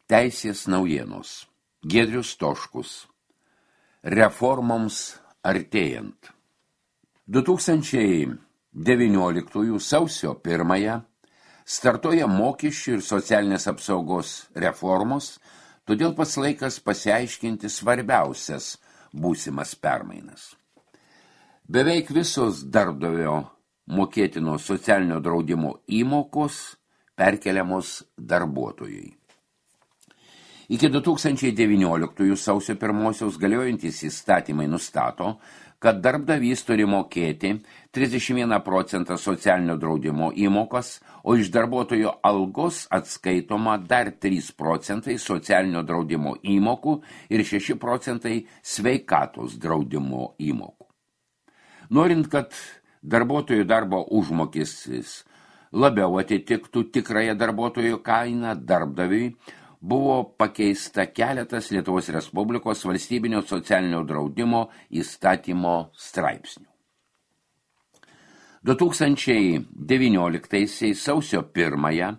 Teisės naujienos. Giedrius Stoškus. Reformoms artėjant. 2019 sausio 1 startuoja mokesčių ir socialinės apsaugos reformos, todėl pats laikas pasiaiškinti svarbiausias būsimas permainas. Beveik visos darbdavio mokėtino socialinio draudimo įmokos perkeliamos darbuotojui. Iki 2019 sausio 1 galiojantys įstatymai nustato, kad darbdavys turi mokėti 31% socialinio draudimo įmokas, o iš darbuotojo algos atskaitoma dar 3% socialinio draudimo įmokų ir 6% sveikatos draudimo įmokų. Norint, kad darbuotojų darbo užmokestis labiau atitiktų tikrąją darbuotojo kainą, darbdaviui buvo pakeista keletas Lietuvos Respublikos valstybinio socialinio draudimo įstatymo straipsnių. 2019 sausio 1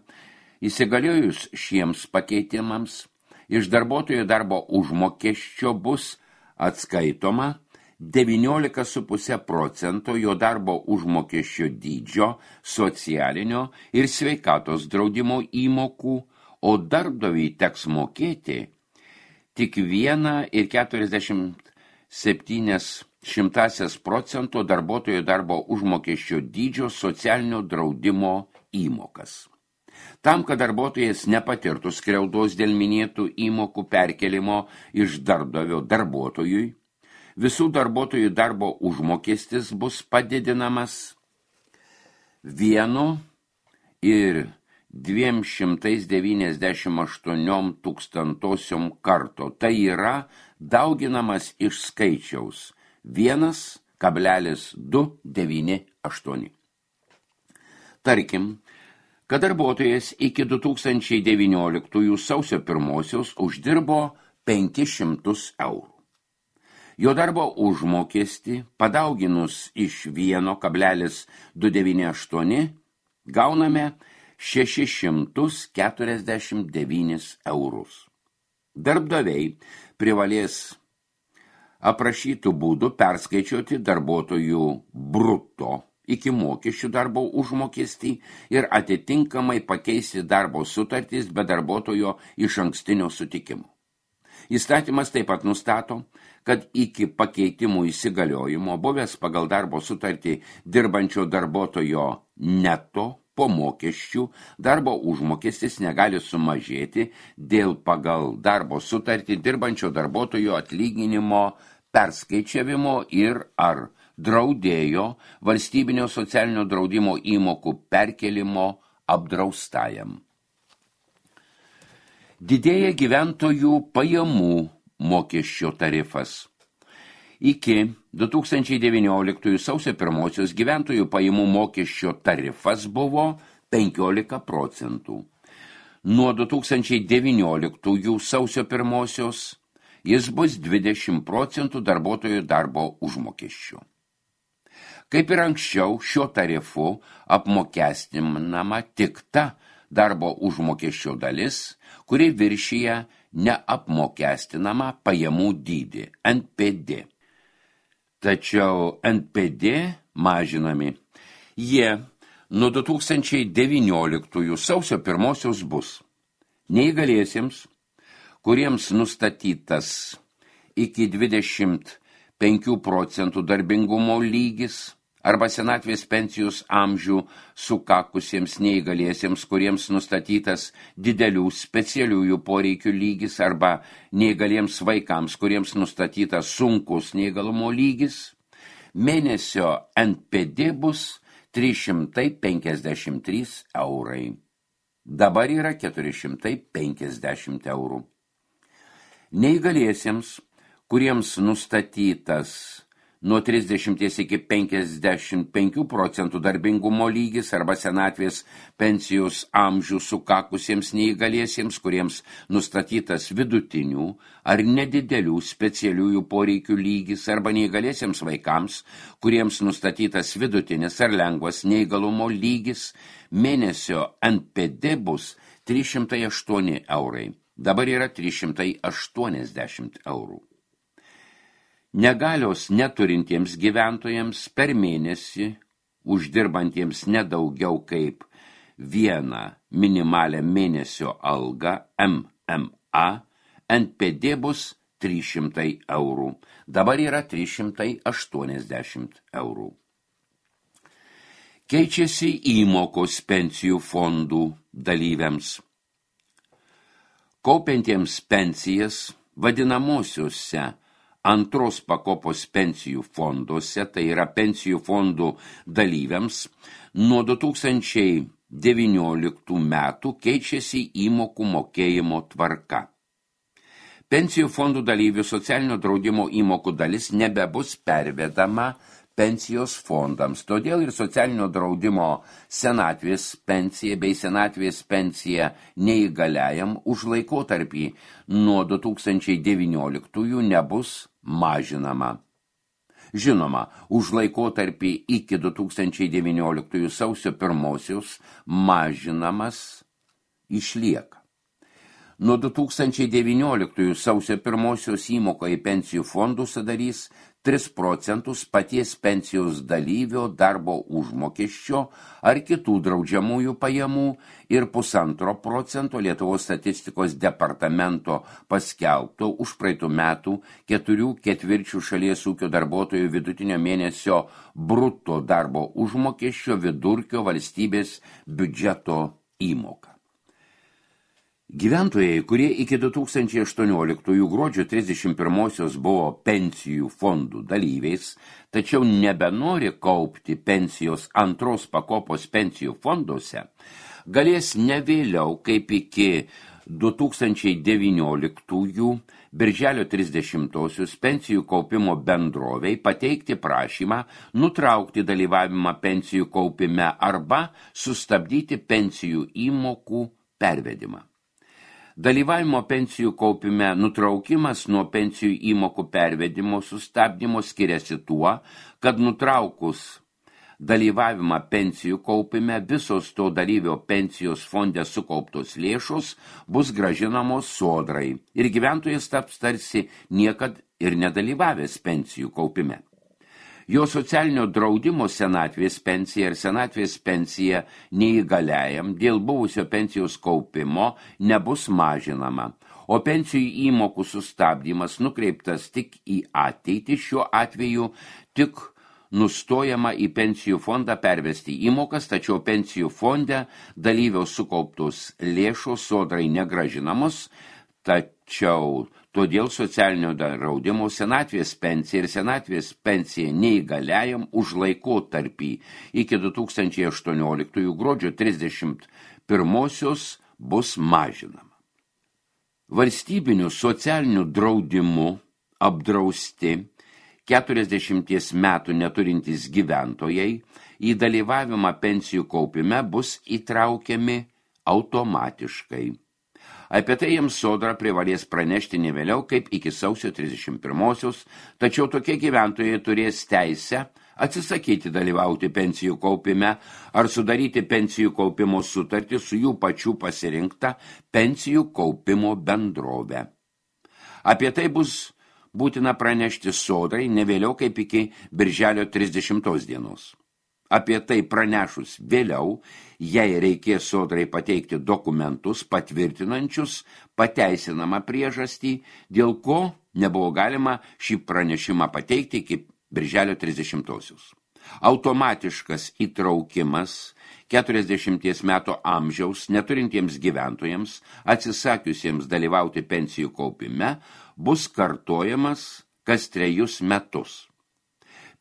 įsigaliojus šiems pakeitimams iš darbuotojo darbo užmokesčio bus atskaitoma 19,5% jo darbo užmokesčio dydžio socialinio ir sveikatos draudimo įmokų, o darbdaviui teks mokėti tik 1,47% darbuotojo darbo užmokesčio dydžio socialinio draudimo įmokas. Tam, kad darbuotojas nepatirtų skriaudos dėl minėtų įmokų perkelimo iš darbdavio darbuotojui, visų darbuotojų darbo užmokestis bus padidinamas 1,298 karto. Tai yra dauginamas iš skaičiaus 1,298. Tarkim, kad darbuotojas iki 2019 sausio 1 uždirbo 500 eurų. Jo darbo užmokestį padauginus iš 1,298 gauname 649 eurus. Darbdaviai privalės aprašytų būdų perskaičiuoti darbuotojų bruto iki mokesčių darbo užmokestį ir atitinkamai pakeisti darbo sutartys be darbuotojo išankstinio sutikimo. Įstatymas taip pat nustato, kad iki pakeitimų įsigaliojimo buvęs pagal darbo sutartį dirbančio darbuotojo neto po mokesčių darbo užmokestis negali sumažėti dėl pagal darbo sutartį dirbančio darbuotojo atlyginimo perskaičiavimo ir ar draudėjo valstybinio socialinio draudimo įmokų perkelimo apdraustajam. Didėja gyventojų pajamų mokesčio tarifas. Iki 2019 sausio 1 gyventojų pajamų mokesčio tarifas buvo 15%. Nuo 2019 sausio 1 jis bus 20% darbuotojų darbo užmokesčio. Kaip ir anksčiau, šiuo tarifu apmokestinama tik ta darbo užmokesčio dalis, kuri viršyje neapmokestinamą pajamų dydį NPD. Tačiau NPD mažinami. Jie nuo 2019 sausio 1 bus neįgaliesiems, kuriems nustatytas iki 25% darbingumo lygis, arba senatvės pensijos amžių sukakusiems neįgaliesiems, kuriems nustatytas didelių specialiųjų poreikių lygis, arba neįgaliems vaikams, kuriems nustatytas sunkus neįgalumo lygis, mėnesio NPD bus 353 eurai. Dabar yra 450 eurų. Neįgaliesiems, kuriems nustatytas nuo 30 iki 55% darbingumo lygis arba senatvės pensijos amžių sukakusiems neįgaliesiems, kuriems nustatytas vidutinių ar nedidelių specialiųjų poreikių lygis arba neįgaliesiems vaikams, kuriems nustatytas vidutinis ar lengvas neįgalumo lygis, mėnesio NPD bus 308 eurai. dabar yra 380 eurų. Negalios neturintiems gyventojams per mėnesį, uždirbantiems nedaugiau kaip vieną minimalę mėnesio algą MMA, NPD bus 300 eurų, dabar yra 380 eurų. Keičiasi įmokos pensijų fondų dalyviams. Kaupiantiems pensijas vadinamosiuose antros pakopos pensijų fonduose, tai yra pensijų fondų dalyviams, nuo 2019 metų keičiasi įmokų mokėjimo tvarka. Pensijų fondų dalyvių socialinio draudimo įmokų dalis nebebus pervedama pensijos fondams, todėl ir socialinio draudimo senatvės pensija bei senatvės pensija neįgaliajam už laikotarpį nuo 2019 nebus mažinama. Žinoma, už laikotarpį iki 2019 sausio 1 mažinamas išlieka. Nuo 2019 sausio 1 įmoka į pensijų fondų sudarys 3 procentus paties pensijos dalyvio darbo užmokesčio ar kitų draudžiamųjų pajamų ir 1,5 procento Lietuvos statistikos departamento paskelbto už praeitų metų 4/4 šalies ūkio darbuotojų vidutinio mėnesio bruto darbo užmokesčio vidurkio valstybės biudžeto įmoką. Gyventojai, kurie iki 2018 gruodžio 31 buvo pensijų fondų dalyviais, tačiau nebenori kaupti pensijos antros pakopos pensijų fonduose, galės ne vėliau kaip iki 2019 birželio 30 pensijų kaupimo bendroviai pateikti prašymą nutraukti dalyvavimą pensijų kaupime arba sustabdyti pensijų įmokų pervedimą. Dalyvavimo pensijų kaupime nutraukimas nuo pensijų įmokų pervedimo sustabdymo skiriasi tuo, kad nutraukus dalyvavimą pensijų kaupime visos to dalyvio pensijos fonde sukauptos lėšos bus grąžinamos sodrai ir gyventojas taps tarsi niekad ir nedalyvavęs pensijų kaupime. Jo socialinio draudimo senatvės pensija ir senatvės pensija neįgaliajam dėl buvusio pensijos kaupimo nebus mažinama, o pensijų įmokų sustabdymas nukreiptas tik į ateitį, šiuo atveju tik nustojama į pensijų fondą pervesti įmokas, tačiau pensijų fonde dalyviaus sukauptos lėšos sodrai negrąžinamos, tačiau todėl socialinio draudimo senatvės pensija ir senatvės pensija neįgaliajam už laikotarpį iki 2018 gruodžio 31 bus mažinama. Valstybinių socialinių draudimų apdrausti 40 metų neturintys gyventojai į dalyvavimą pensijų kaupime bus įtraukiami automatiškai. Apie tai jiems sodra privalės pranešti ne vėliau kaip iki sausio 31, tačiau tokie gyventojai turės teisę atsisakyti dalyvauti pensijų kaupime ar sudaryti pensijų kaupimo sutartį su jų pačių pasirinkta pensijų kaupimo bendrove. Apie tai bus būtina pranešti sodrai ne vėliau kaip iki birželio 30 dienos. Apie tai pranešus vėliau, jei reikės sodrai pateikti dokumentus patvirtinančius pateisinamą priežastį, dėl ko nebuvo galima šį pranešimą pateikti iki birželio 30. Automatiškas įtraukimas 40 metų amžiaus neturintiems gyventojams, atsisakiusiems dalyvauti pensijų kaupime, bus kartojamas kas 3 metus.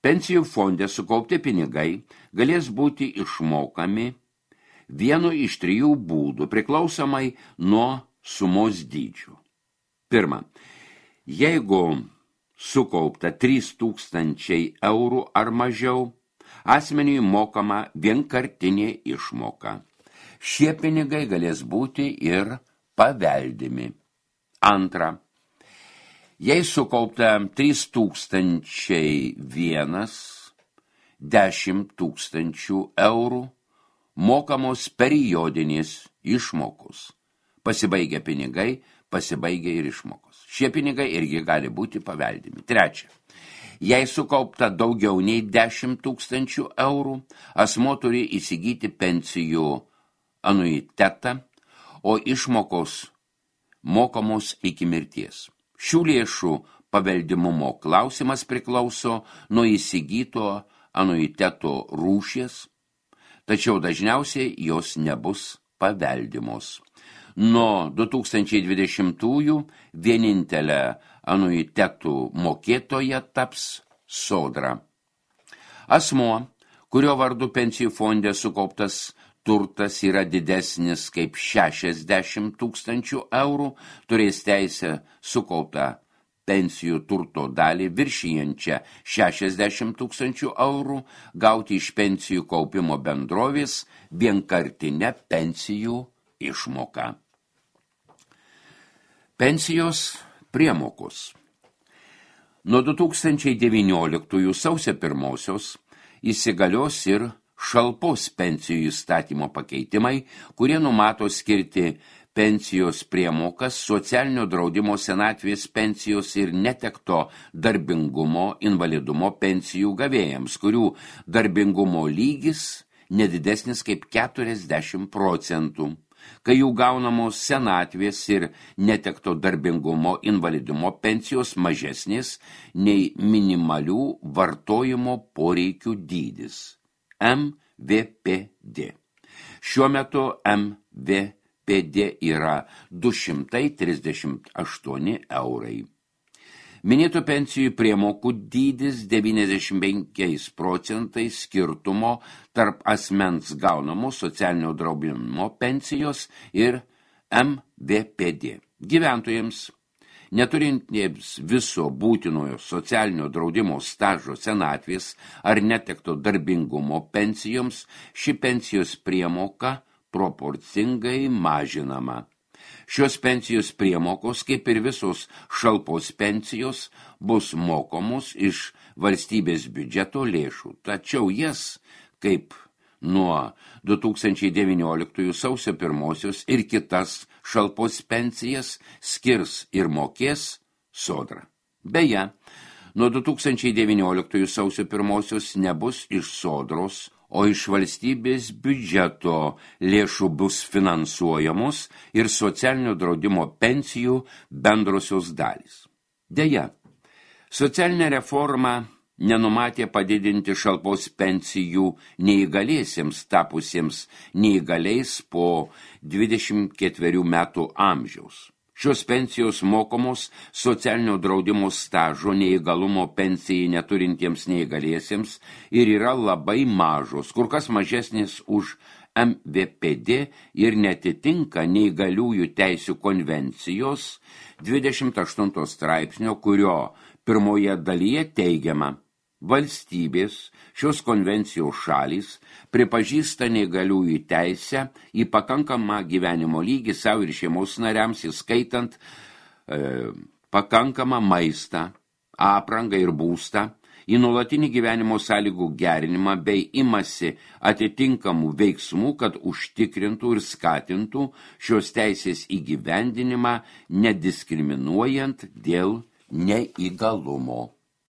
Pensijų fonde sukaupti pinigai galės būti išmokami vienu iš 3 būdų, priklausomai nuo sumos dydžių. Pirma, jeigu sukaupta 3000 eurų ar mažiau, asmeniui mokama vienkartinė išmoka. Šie pinigai galės būti ir paveldimi. Antra, jei sukaupta 3001, 10 000 eurų, mokamos periodinės išmokos. Pasibaigia pinigai, pasibaigia ir išmokos. Šie pinigai irgi gali būti paveldimi. Trečia. Jei sukaupta daugiau nei 10 000 eurų, asmuo turi įsigyti pensijų anuitetą, o išmokos mokamos iki mirties. Šių lėšų paveldimumo klausimas priklauso nuo įsigyto anuiteto rūšies, tačiau dažniausiai jos nebus paveldimos. Nuo 2020-ųjų vienintelė anuitetų mokėtoja taps Sodra. Asmuo, kurio vardu pensijų fonde sukauptas turtas yra didesnis kaip 60 000 eurų, turės teisę sukauptą pensijų turto dalį viršijančią 60 000 eurų gauti iš pensijų kaupimo bendrovės vienkartinę pensijų išmoką. Pensijos priemokos. Nuo 2019 sausio 1 įsigalios ir šalpos pensijų įstatymo pakeitimai, kurie numato skirti pensijos priemokas, socialinio draudimo senatvės pensijos ir netekto darbingumo invalidumo pensijų gavėjams, kurių darbingumo lygis nedidesnis kaip 40%, kai jų gaunamos senatvės ir netekto darbingumo invalidumo pensijos mažesnės nei minimalių vartojimo poreikių dydis. MVPD. Šiuo metu MVPD yra 238 eurai. Minėtų pensijų priemokų dydis 95% skirtumo tarp asmens gaunamo socialinio draudimo pensijos ir MVPD. Gyventojams, neturintiems viso būtinojo socialinio draudimo stažo senatvės ar netekto darbingumo pensijoms, ši pensijos priemoka proporcingai mažinama. Šios pensijos priemokos, kaip ir visos šalpos pensijos, bus mokomos iš valstybės biudžeto lėšų, tačiau jas, kaip nuo 2019 sausio 1 ir kitas šalpos pensijas, skirs ir mokės Sodra. Beje, nuo 2019 sausio 1 nebus iš Sodros, o iš valstybės biudžeto lėšų bus finansuojamos ir socialinio draudimo pensijų bendrosios dalys. Deja, socialinė reforma nenumatė padidinti šalpos pensijų neįgaliesiems tapusiems neįgaliais po 24 metų amžiaus. Šios pensijos mokomos socialinio draudimo stažo neįgalumo pensijai neturintiems neįgaliesiems ir yra labai mažos, kur kas mažesnės už MVPD ir netitinka neįgaliųjų teisių konvencijos 28 straipsnio, kurio pirmoje dalyje teigiama: valstybės, šios konvencijos šalys pripažįsta neįgaliųjų teisę į pakankamą gyvenimo lygį savo ir šeimos nariams, įskaitant pakankamą maistą, aprangą ir būstą, į nuolatinį gyvenimo sąlygų gerinimą bei imasi atitinkamų veiksmų, kad užtikrintų ir skatintų šios teisės įgyvendinimą nediskriminuojant dėl neįgalumo.